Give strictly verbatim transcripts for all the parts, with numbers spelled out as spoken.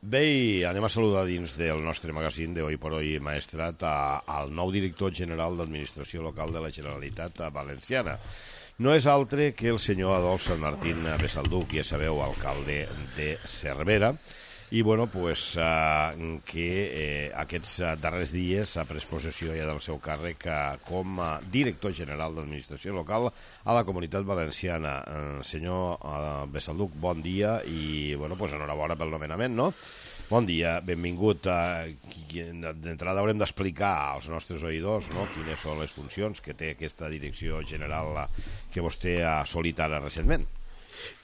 Bé, i anem a saludar dins del nostre magazín de Hoy por Hoy Maestrat al nou director general d'Administració Local de la Generalitat Valenciana. No és altre que el senyor Adolf Sant Martín Besalduc, ja sabeu, alcalde de Cervera, i bueno, pues, eh, que eh, aquests darrers dies ha pres possessió ja del seu càrrec eh, com a director general d'Administració Local a la Comunitat Valenciana. Eh, senyor eh, Besalduc, bon dia i bueno, pues, enhorabona pel nomenament, no? Bon dia, benvingut. D'entrada haurem d'explicar als nostres oïdors, no?, quines són les funcions que té aquesta direcció general que vostè ha assolit ara recentment.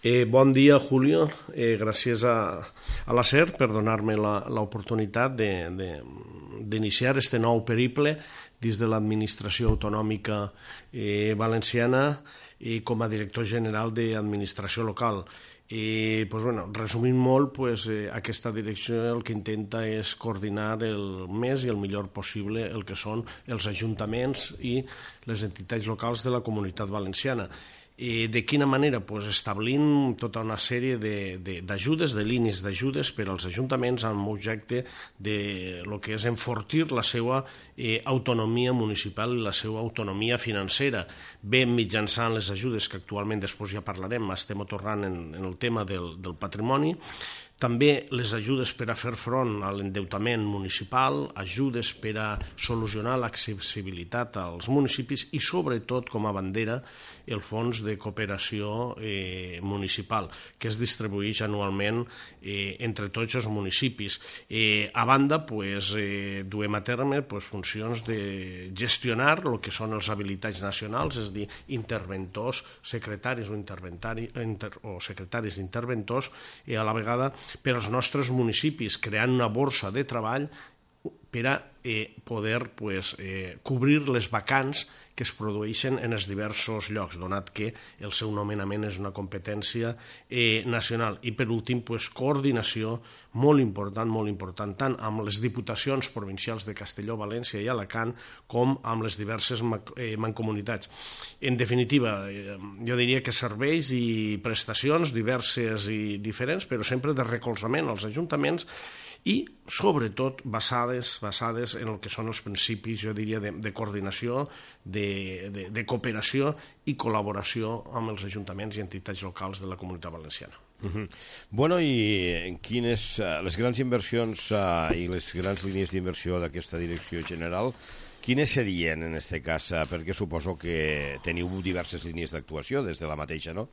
Eh, bon dia, Julio. Eh, gràcies a, a la SER per donar-me l'oportunitat d'iniciar este nou periple dins de l'administració autonòmica eh, valenciana eh, com a director general d'administració local. I, pues, bueno, resumint molt, pues, eh, aquesta direcció el que intenta és coordinar el més i el millor possible el que són els ajuntaments i les entitats locals de la Comunitat Valenciana. I de quina manera? Pues establint tota una sèrie d'ajudes, de, de, de línies d'ajudes per als ajuntaments amb objecte de lo que és enfortir la seva eh, autonomia municipal i la seva autonomia financera, bé mitjançant les ajudes que actualment després ja parlarem, estem tornant en, en el tema del, del patrimoni, també les ajudes per a fer front a l'endeutament municipal, ajudes per a solucionar l'accessibilitat als municipis i, sobretot, com a bandera, el fons de cooperació eh, municipal, que es distribueix anualment eh, entre tots els municipis. Eh, a banda, pues, eh, duem a terme pues, funcions de gestionar el que són els habilitats nacionals, és a dir, interventors, secretaris o, inter, o secretaris d'interventors, i a la vegada per als nostres municipis, creant una borsa de treball per a eh, poder pues, eh, cobrir les vacants que es produeixen en els diversos llocs, donat que el seu nomenament és una competència eh, nacional. I per últim, pues, coordinació molt important, molt important, tant amb les diputacions provincials de Castelló, València i Alacant, com amb les diverses eh, mancomunitats. En definitiva, eh, jo diria que serveis i prestacions diverses i diferents, però sempre de recolzament als ajuntaments i, sobretot, basades, basades en el que són els principis, jo diria, de, de coordinació, de, de, de cooperació i col·laboració amb els ajuntaments i entitats locals de la Comunitat Valenciana. Uh-huh. Bueno, i quines, uh, les grans inversions uh, i les grans línies d'inversió d'aquesta direcció general, quines serien en aquest cas? Uh, perquè suposo que teniu diverses línies d'actuació des de la mateixa, no?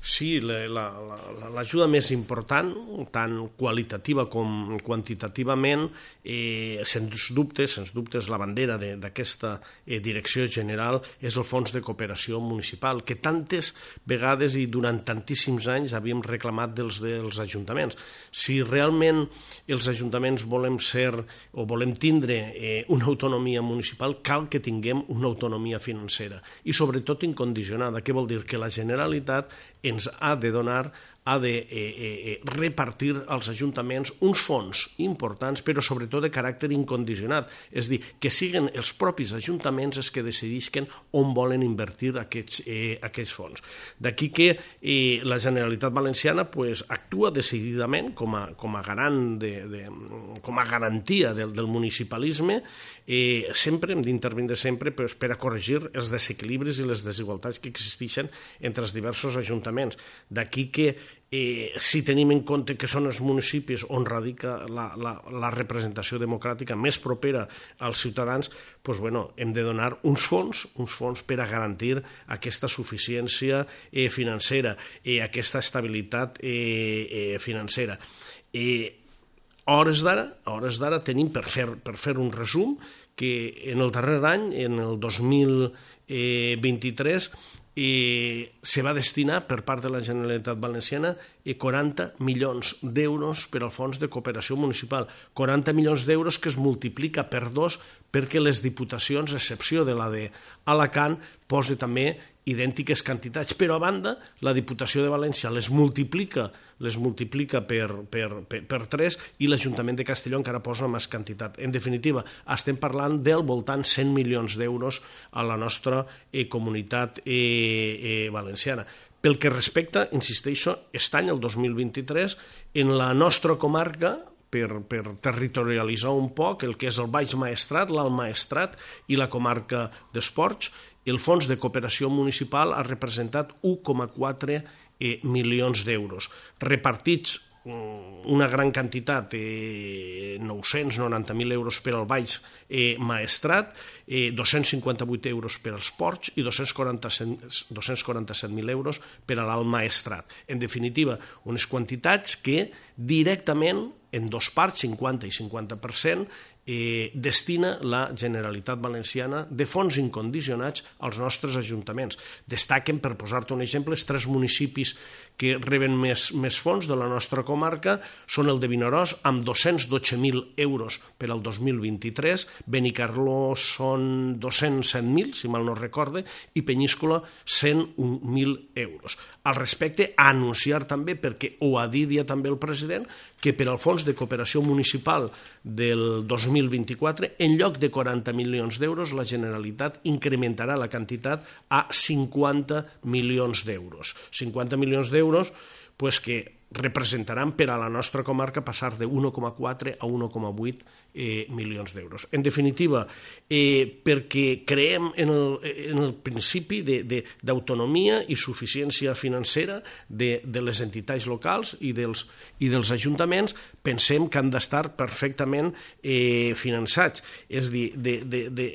Sí, l'ajuda més important, tant qualitativa com quantitativament, eh, sens dubte, sens dubte és la bandera d'aquesta eh, direcció general, és el Fons de Cooperació Municipal, que tantes vegades i durant tantíssims anys havíem reclamat dels, dels ajuntaments. Si realment els ajuntaments volem ser o volem tindre eh, una autonomia municipal, cal que tinguem una autonomia financera i sobretot incondicionada. Què vol dir? Que la Generalitat ens ha de donar, ha de eh, eh, repartir als ajuntaments uns fons importants, però sobretot de caràcter incondicionat. És a dir, que siguin els propis ajuntaments els que decidisquen on volen invertir aquests, eh, aquests fons. D'aquí que eh, la Generalitat Valenciana pues, actua decididament com a, com a garant de, de, com a garantia del, del municipalisme. Eh, sempre hem d'intervindre sempre pues, per a corregir els desequilibris i les desigualtats que existeixen entre els diversos ajuntaments. D'aquí que eh, si tenim en compte que són els municipis on radica la, la, la representació democràtica més propera als ciutadans, pues, bueno, hem de donar uns fons, uns fons per a garantir aquesta suficiència eh, financera i eh, aquesta estabilitat eh, eh, financera. Eh, A hores d'ara, a hores d'ara tenim, per fer, per fer un resum, que en el darrer any, en el dos mil vint-i-tres, eh, se va destinar per part de la Generalitat Valenciana eh, quaranta milions d'euros per al Fons de Cooperació Municipal. quaranta milions d'euros que es multiplica per dos perquè les diputacions, a excepció de la d'Alacant, posa també idèntiques quantitats, però a banda la Diputació de València les multiplica les multiplica per, per, per, per tres i l'Ajuntament de Castelló encara posa més quantitat. En definitiva, estem parlant del voltant cent milions d'euros a la nostra eh, comunitat eh, eh, valenciana. Pel que respecta, insisteixo, aquest any, el dos mil vint-i-tres, en la nostra comarca, per, per territorialitzar un poc el que és el Baix Maestrat, l'Alt Maestrat i la comarca d'Esports, el Fons de Cooperació Municipal ha representat un coma quatre eh, milions d'euros, repartits una gran quantitat, eh, nou-cents noranta mil euros per al Baix eh, Maestrat, eh, dos-cents cinquanta-vuit euros per als Ports i dos-cents quaranta-set mil euros per a l'Alt Maestrat. En definitiva, unes quantitats que directament, en dos parts, cinquanta i cinquanta per cent, eh, destina la Generalitat Valenciana de fons incondicionats als nostres ajuntaments. Destaquen, per posar-te un exemple, els tres municipis que reben més, més fons de la nostra comarca són el de Vinaròs, amb dos-cents dotze mil euros per al dos mil vint-i-tres, Benicarló són dos-cents set mil, si mal no recorde, i Penyíscola cent un mil euros. Al respecte, a anunciar també, perquè ho ha dit ja també el president, que per al Fons de Cooperació Municipal del dos mil vint-i-quatre, en lloc de quaranta milions d'euros, la Generalitat incrementarà la quantitat a cinquanta milions d'euros. cinquanta milions d'euros pues, que representaran per a la nostra comarca passar de un coma quatre a un coma vuit eh, milions d'euros. En definitiva, eh, perquè creem en el, en el principi d'autonomia i suficiència financera de, de les entitats locals i dels, i dels ajuntaments, pensem que han d'estar perfectament eh, finançats. És a dir, de, de, de,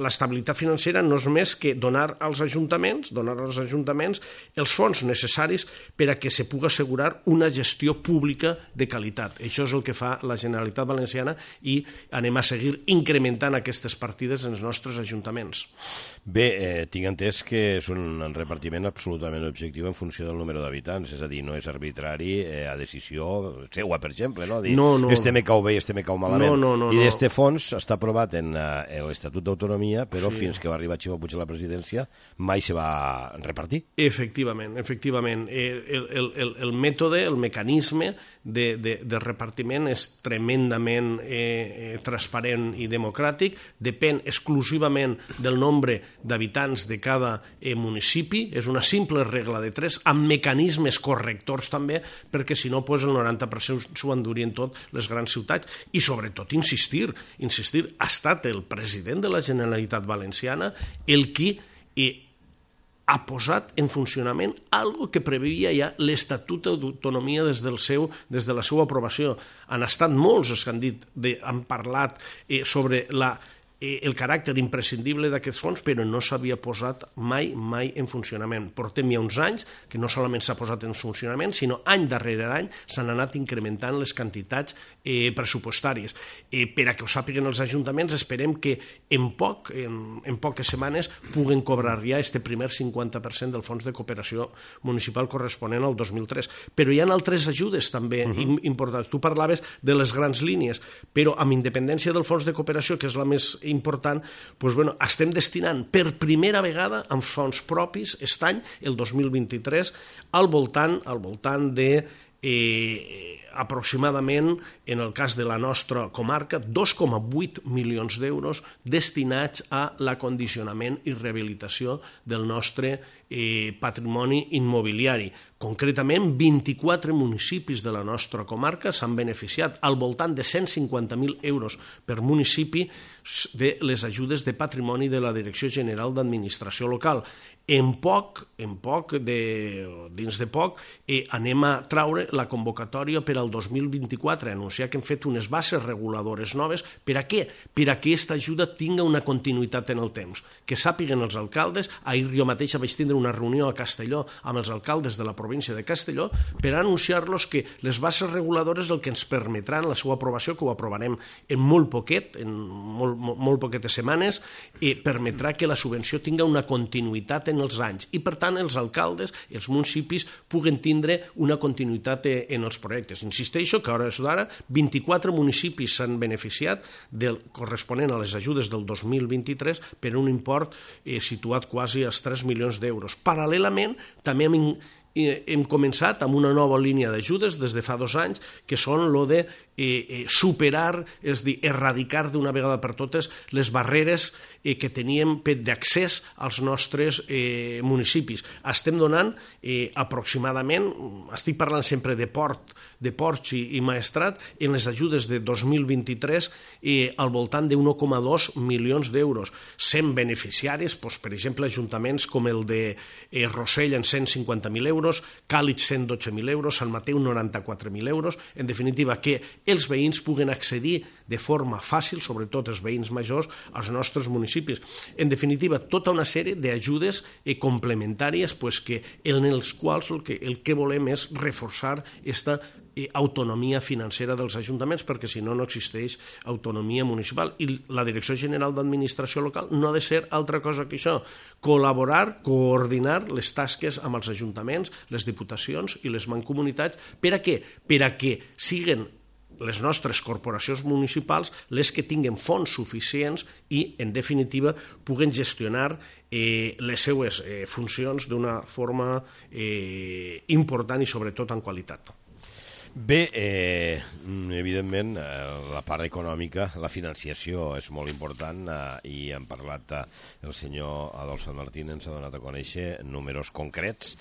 l'estabilitat financera no és més que donar als ajuntaments, donar als ajuntaments els fons necessaris per a que se pugui assegurar una gestió pública de qualitat. Això és el que fa la Generalitat Valenciana i anem a seguir incrementant aquestes partides en els nostres ajuntaments. Bé, eh, tinc entès que és un repartiment absolutament objectiu en funció del número d'habitants, és a dir, no és arbitrari eh, a decisió seua, per exemple, no? Dir, no, no. este me cau bé i este me cau malament. No, no, no, I no. este fons està aprovat en eh, l'Estatut d'Autonomia, però sí. fins que va arribar Ximo Puig a la presidència mai se va repartir. Efectivament, efectivament. El, el, el, el mètode, el mecanisme de, de, de repartiment és tremendament eh, transparent i democràtic, depèn exclusivament del nombre d'habitants de cada eh, municipi, és una simple regla de tres, amb mecanismes correctors també, perquè si no pues, el noranta per cent s'ho endurien tot les grans ciutats. I sobretot insistir, insistir, ha estat el president de la Generalitat Valenciana el qui eh, ha posat en funcionament algo que preveia ja l'Estatut d'Autonomia des, del seu, des de la seva aprovació. Han estat molts els que han dit, de, han parlat eh, sobre la el caràcter imprescindible d'aquests fons, però no s'havia posat mai, mai en funcionament. Portem ja uns anys que no solament s'ha posat en funcionament, sinó any darrere any s'han anat incrementant les quantitats eh, pressupostàries. Eh, per a que ho sàpiguen els ajuntaments, esperem que en poc, en, en poques setmanes, puguen cobrar ja este primer cinquanta per cent del fons de cooperació municipal corresponent al dos mil tres. Però hi ha altres ajudes també uh-huh. importants. Tu parlaves de les grans línies, però amb independència del fons de cooperació, que és la més important, doncs, bueno, estem destinant per primera vegada amb fons propis aquest any, el dos mil vint-i-tres, al voltant, al voltant de eh, aproximadament, en el cas de la nostra comarca, dos coma vuit milions d'euros destinats a l'acondicionament i rehabilitació del nostre eh, patrimoni immobiliari. Concretament, vint-i-quatre municipis de la nostra comarca s'han beneficiat al voltant de cent cinquanta mil euros per municipi de les ajudes de patrimoni de la Direcció General d'Administració Local. En poc, en poc de, dins de poc, eh, anem a traure la convocatòria per al dos mil vint-i-quatre, anunciar que hem fet unes bases reguladores noves. Per a què? Per a que aquesta ajuda tinga una continuïtat en el temps. Que sàpiguen els alcaldes, ahir jo mateixa vaig tindre una reunió a Castelló amb els alcaldes de la província de Castelló per anunciar-los que les bases reguladores el que ens permetran la seva aprovació, que ho aprovarem en molt poquet, en molt, molt, molt poquetes setmanes, eh, permetrà que la subvenció tinga una continuïtat en els anys i, per tant, els alcaldes, els municipis, puguen tindre una continuïtat en els projectes. Insisteixo que a hores d'ara vint-i-quatre municipis s'han beneficiat del corresponent a les ajudes del dos mil vint-i-tres per un import eh, situat quasi als tres milions d'euros. Paral·lelament, també hem hem començat amb una nova línia d'ajudes des de fa dos anys, que són lo de eh, superar, és a dir, erradicar d'una vegada per totes les barreres eh, que teníem d'accés als nostres eh, municipis. Estem donant eh, aproximadament, estic parlant sempre de port, de ports i, i maestrat, en les ajudes de dos mil vint-i-tres eh, al voltant de un coma dos milions d'euros, sent beneficiaris, doncs, per exemple, ajuntaments com el de eh, Rossell en cent cinquanta mil euros, Càlig cent dotze mil euros, Sant Mateu noranta-quatre mil euros, en definitiva que els veïns puguen accedir de forma fàcil, sobretot els veïns majors, als nostres municipis. En definitiva, tota una sèrie d'ajudes eh, complementàries pues, que, en els quals el que, el que volem és reforçar aquesta eh, autonomia financera dels ajuntaments, perquè si no, no existeix autonomia municipal. I la Direcció General d'Administració Local no ha de ser altra cosa que això, col·laborar, coordinar les tasques amb els ajuntaments, les diputacions i les mancomunitats. Per a què? Per a que siguen les nostres corporacions municipals les que tinguen fons suficients i, en definitiva, puguen gestionar eh, les seues eh, funcions d'una forma eh, important i, sobretot, en qualitat. Bé, eh, evidentment, eh, la part econòmica, la financiació és molt important eh, i hem parlat, eh, el senyor Adolf Sant Martín ens ha donat a conèixer números concrets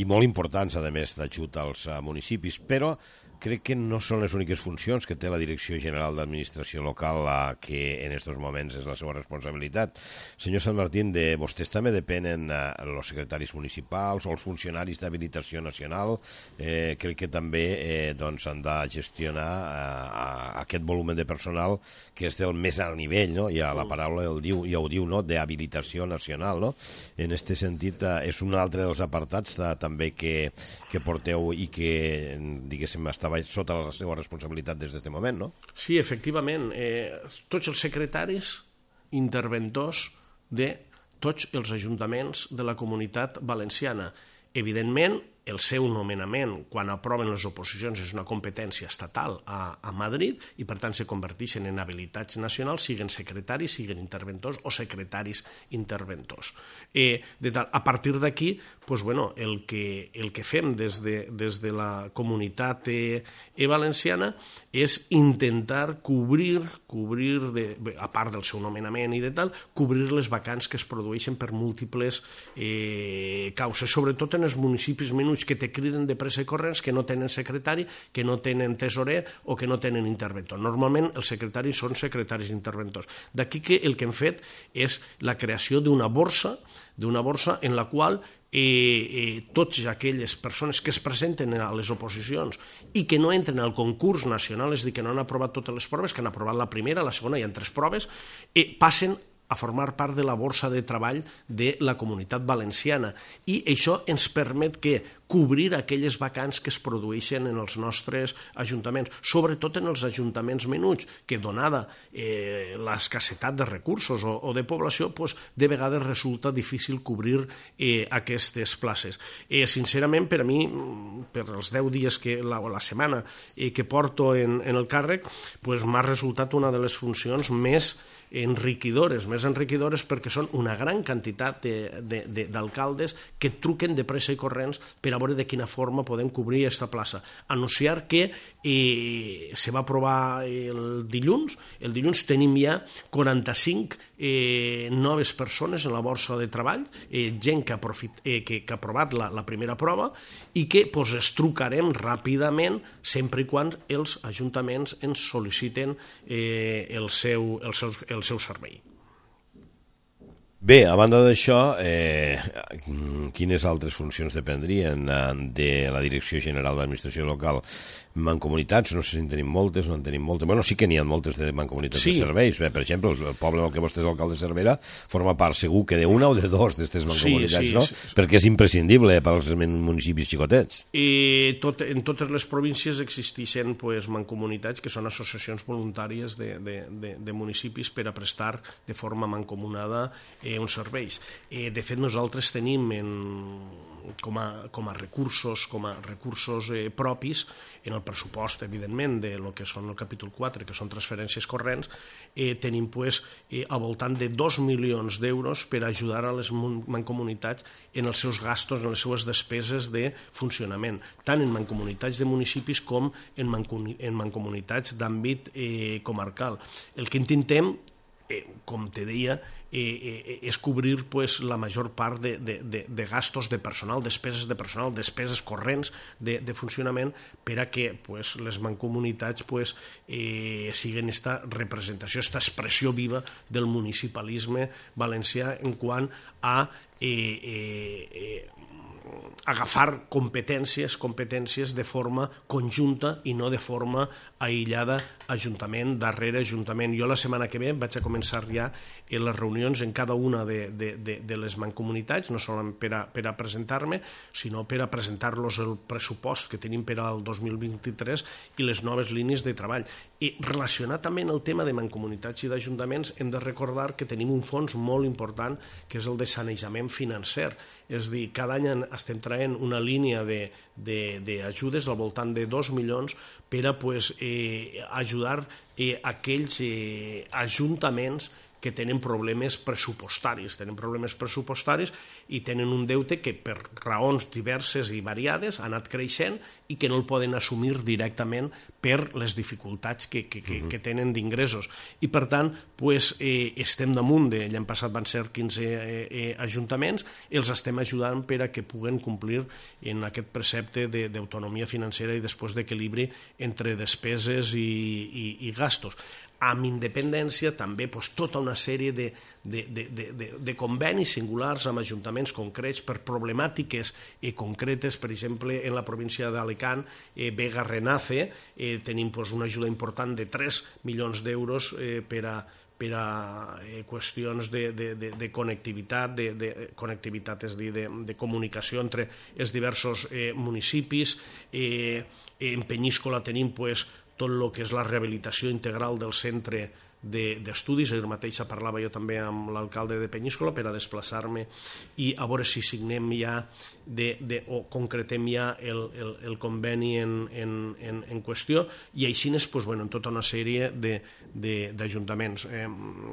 i molt importants, a més, d'ajut als eh, municipis, però crec que no són les úniques funcions que té la Direcció General d'Administració Local, eh, que en aquests moments és la seva responsabilitat. Senyor Sant Martín, de vostès també depenen eh, els secretaris municipals o els funcionaris d'habilitació nacional. Eh, crec que també eh, doncs, han de gestionar eh, aquest volum de personal que és del més alt nivell, no? Ja la paraula el diu, ja ho diu, no? D'habilitació nacional, no? En aquest sentit, eh, és un altre dels apartats eh, també que, que porteu i que, diguéssim, està sota la seva responsabilitat des d'aquest moment, no? Sí, efectivament. Eh, tots els secretaris interventors de tots els ajuntaments de la Comunitat Valenciana. Evidentment, el seu nomenament, quan aproven les oposicions, és una competència estatal a, a Madrid i, per tant, se converteixen en habilitats nacionals, siguen secretaris, siguen interventors o secretaris interventors. Eh, de tal, a partir d'aquí, pues, bueno, el, que, el que fem des de, des de la comunitat eh, valenciana és intentar cobrir, cobrir de, a part del seu nomenament i de tal, cobrir les vacants que es produeixen per múltiples eh, causes, sobretot en els municipis menuts que te criden de pressa i corrents, que no tenen secretari, que no tenen tesorer o que no tenen interventor. Normalment els secretaris són secretaris interventors. D'aquí que el que hem fet és la creació d'una borsa, d'una borsa en la qual eh, eh, totes aquelles persones que es presenten a les oposicions i que no entren al concurs nacional, és a dir, que no han aprovat totes les proves, que han aprovat la primera, la segona, hi ha tres proves, eh, passen a formar part de la borsa de treball de la Comunitat Valenciana. I això ens permet que cobrir aquelles vacants que es produeixen en els nostres ajuntaments, sobretot en els ajuntaments menuts, que donada eh, l'escassetat de recursos o, o de població, pues, de vegades resulta difícil cobrir eh, aquestes places. Eh, sincerament, per a mi, per els deu dies que la, o la setmana eh, que porto en, en el càrrec, pues, m'ha resultat una de les funcions més enriquidores, més enriquidores perquè són una gran quantitat d'alcaldes que truquen de pressa i corrents per a veure de quina forma podem cobrir aquesta plaça. Anunciar que eh, se va aprovar el dilluns, el dilluns tenim ja quaranta-cinc eh, noves persones en la borsa de treball, eh, gent que ha, profit, eh, que, que ha aprovat la, la primera prova i que pues, es trucarem ràpidament sempre i quan els ajuntaments ens sol·liciten eh, el seu, el seu, el seu servei. Bé, a banda d'això, eh, quines altres funcions dependrien de la Direcció General d'Administració Local? Mancomunitats, no sé si en tenim moltes o no en tenim moltes. Bueno, sí que n'hi ha moltes de mancomunitats sí. de serveis. Bé, per exemple, el poble del que vostè és alcalde de Cervera forma part segur que d'una o de dos d'aquestes mancomunitats, sí, sí, no? Sí, sí. Perquè és imprescindible per als municipis xicotets. I tot, en totes les províncies existeixen pues, mancomunitats que són associacions voluntàries de, de, de, de municipis per a prestar de forma mancomunada eh, uns serveis. Eh, de fet, nosaltres tenim en com, a, com a recursos, com a recursos eh, propis en el pressupost, evidentment, de lo que són el capítol quatre, que són transferències corrents, eh, tenim pues, eh, al voltant de dos milions d'euros per ajudar a les mancomunitats en els seus gastos, en les seues despeses de funcionament, tant en mancomunitats de municipis com en, mancomuni en mancomunitats d'àmbit eh, comarcal. El que intentem, Eh, com te deia, eh, eh, és cobrir pues, la major part de, de, de, de gastos de personal, despeses de personal, despeses corrents de, de funcionament per a que pues, les mancomunitats pues, eh, siguin esta representació, esta expressió viva del municipalisme valencià en quant a eh, eh, eh, agafar competències, competències de forma conjunta i no de forma aïllada, ajuntament darrere ajuntament. Jo la setmana que ve vaig a començar ja en les reunions en cada una de, de, de, de les mancomunitats, no solament per a, per a presentar-me, sinó per a presentar-los el pressupost que tenim per al dos mil vint-i-tres i les noves línies de treball. I relacionat també amb el tema de mancomunitats i d'ajuntaments, hem de recordar que tenim un fons molt important que és el de sanejament financer. És a dir, cada any estem traient una línia d'ajudes al voltant de dos milions per a pues, eh, ajudar eh, aquells eh, ajuntaments que tenen problemes pressupostaris, tenen problemes pressupostaris i tenen un deute que per raons diverses i variades ha anat creixent i que no el poden assumir directament per les dificultats que, que, que, que tenen d'ingressos. I per tant, pues, eh, estem damunt de, l'any passat van ser quinze eh, eh, ajuntaments, els estem ajudant per a que puguen complir en aquest precepte d'autonomia financera i després d'equilibri entre despeses i, i, i gastos. Amb independència també pues, tota una sèrie de, de, de, de, de convenis singulars amb ajuntaments concrets per problemàtiques eh, concretes. Per exemple, en la província d'Alacant, eh, Vega Renace, eh, tenim pues, una ajuda important de tres milions d'euros eh, per a per a eh, qüestions de, de, de, de connectivitat, de, de connectivitat, és a dir, de, de comunicació entre els diversos eh, municipis. Eh, en Penyíscola tenim pues, tot el que és la rehabilitació integral del centre d'estudis. Ahir mateix parlava jo també amb l'alcalde de Penyíscola per a desplaçar-me i a veure si signem ja de, de, o concretem ja el, el, el conveni en, en, en, en qüestió i així és pues, bueno, en tota una sèrie d'ajuntaments. Eh,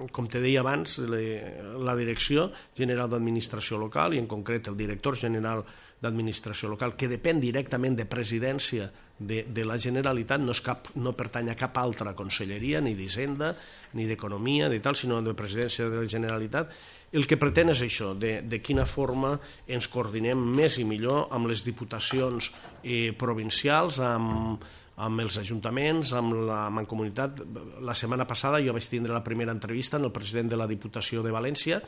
com te deia abans, le, la Direcció General d'Administració Local i en concret el director general d'Administració Local, que depèn directament de presidència de, de la Generalitat, no, és cap, no pertany a cap altra conselleria, ni d'Hisenda, ni d'Economia, ni tal, sinó de presidència de la Generalitat. El que pretén és això, de, de quina forma ens coordinem més i millor amb les diputacions eh, provincials, amb, amb els ajuntaments, amb la mancomunitat. La setmana passada jo vaig tindre la primera entrevista en el president de la Diputació de València,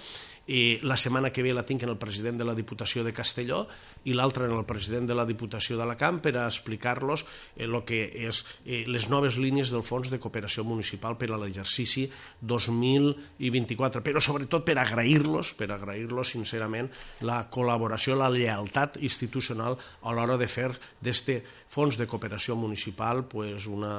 i la setmana que ve la tinc en el president de la Diputació de Castelló i l'altra en el president de la Diputació d'Alacant per a explicar-los el que és eh, les noves línies del Fons de Cooperació Municipal per a l'exercici dos mil vint-i-quatre, però sobretot per agrair-los, per agrair-los sincerament la col·laboració, la lleialtat institucional a l'hora de fer d'este Fons de Cooperació Municipal pues una...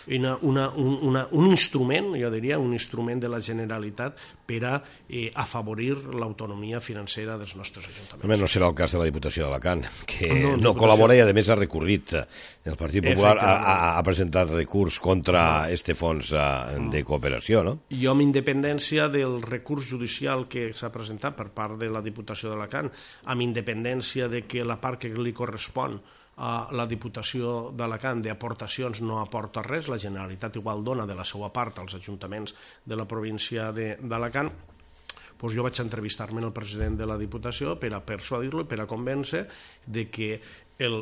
Una, una, una, un instrument, jo diria, un instrument de la Generalitat per a eh, afavorir l'autonomia financera dels nostres ajuntaments. Només no serà el cas de la Diputació d'Alacant, que no, no col·labora i a més ha recorrit. El Partit Popular ha, ha presentat recurs contra este fons de cooperació, no? Jo, amb independència del recurs judicial que s'ha presentat per part de la Diputació d'Alacant, amb independència de que la part que li correspon a la Diputació d'Alacant d'aportacions no aporta res, la Generalitat igual dona de la seva part als ajuntaments de la província d'Alacant, doncs jo vaig entrevistar-me amb el president de la Diputació per a persuadir-lo i per a convèncer de que el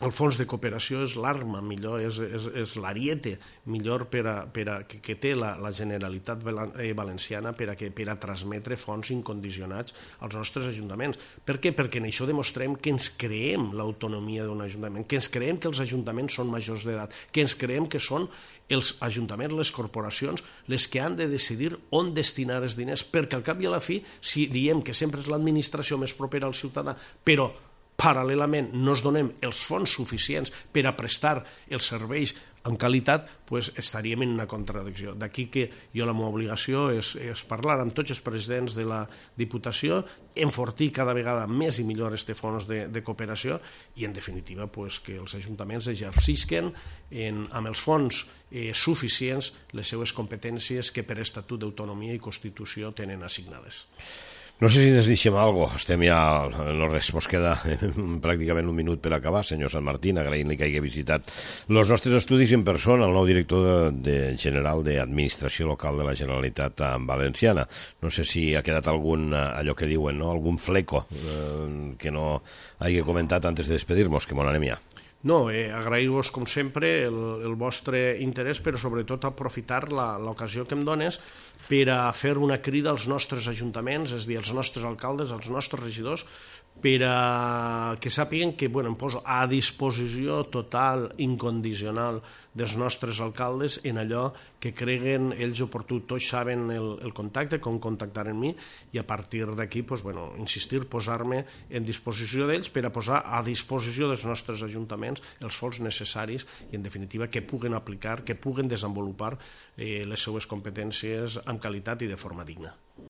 El fons de cooperació és l'arma millor, és, és, és l'ariete millor per a, per a, que, que té la, la Generalitat Valenciana per a, que, per a transmetre fons incondicionats als nostres ajuntaments. Per què? Perquè en això demostrem que ens creem l'autonomia d'un ajuntament, que ens creem que els ajuntaments són majors d'edat, que ens creem que són els ajuntaments, les corporacions, les que han de decidir on destinar els diners, perquè al cap i a la fi, si diem que sempre és l'administració més propera al ciutadà, però paral·lelament no es donem els fons suficients per a prestar els serveis amb qualitat, pues, estaríem en una contradicció. D'aquí que jo la meva obligació és, és parlar amb tots els presidents de la Diputació, enfortir cada vegada més i millor este fons de, de cooperació i, en definitiva, pues, que els ajuntaments exercisquen en, amb els fons eh, suficients les seues competències que per Estatut d'Autonomia i Constitució tenen assignades. No sé si ens deixem alguna cosa, estem ja, no res, mos queda pràcticament un minut per acabar. Senyor Sant Martín, agraïm-li que hagi visitat els nostres estudis en persona, el nou director de, de general d'Administració Local de la Generalitat Valenciana. No sé si ha quedat algun, allò que diuen, no? algun fleco eh, que no hagi comentat antes de despedir-nos, que mon anem ja. No, eh, agrair-vos, com sempre, el, el vostre interès, però sobretot aprofitar l'ocasió que em dones per a fer una crida als nostres ajuntaments, és a dir, als nostres alcaldes, als nostres regidors, per a que sàpiguen que, bueno, em poso a disposició total, incondicional dels nostres alcaldes en allò que creguen ells oportú. Tots saben el, el contacte, com contactar amb mi, i a partir d'aquí, pues, bueno, insistir, posar-me en disposició d'ells per a posar a disposició dels nostres ajuntaments els fons necessaris i, en definitiva, que puguen aplicar, que puguen desenvolupar eh, les seues competències amb qualitat i de forma digna.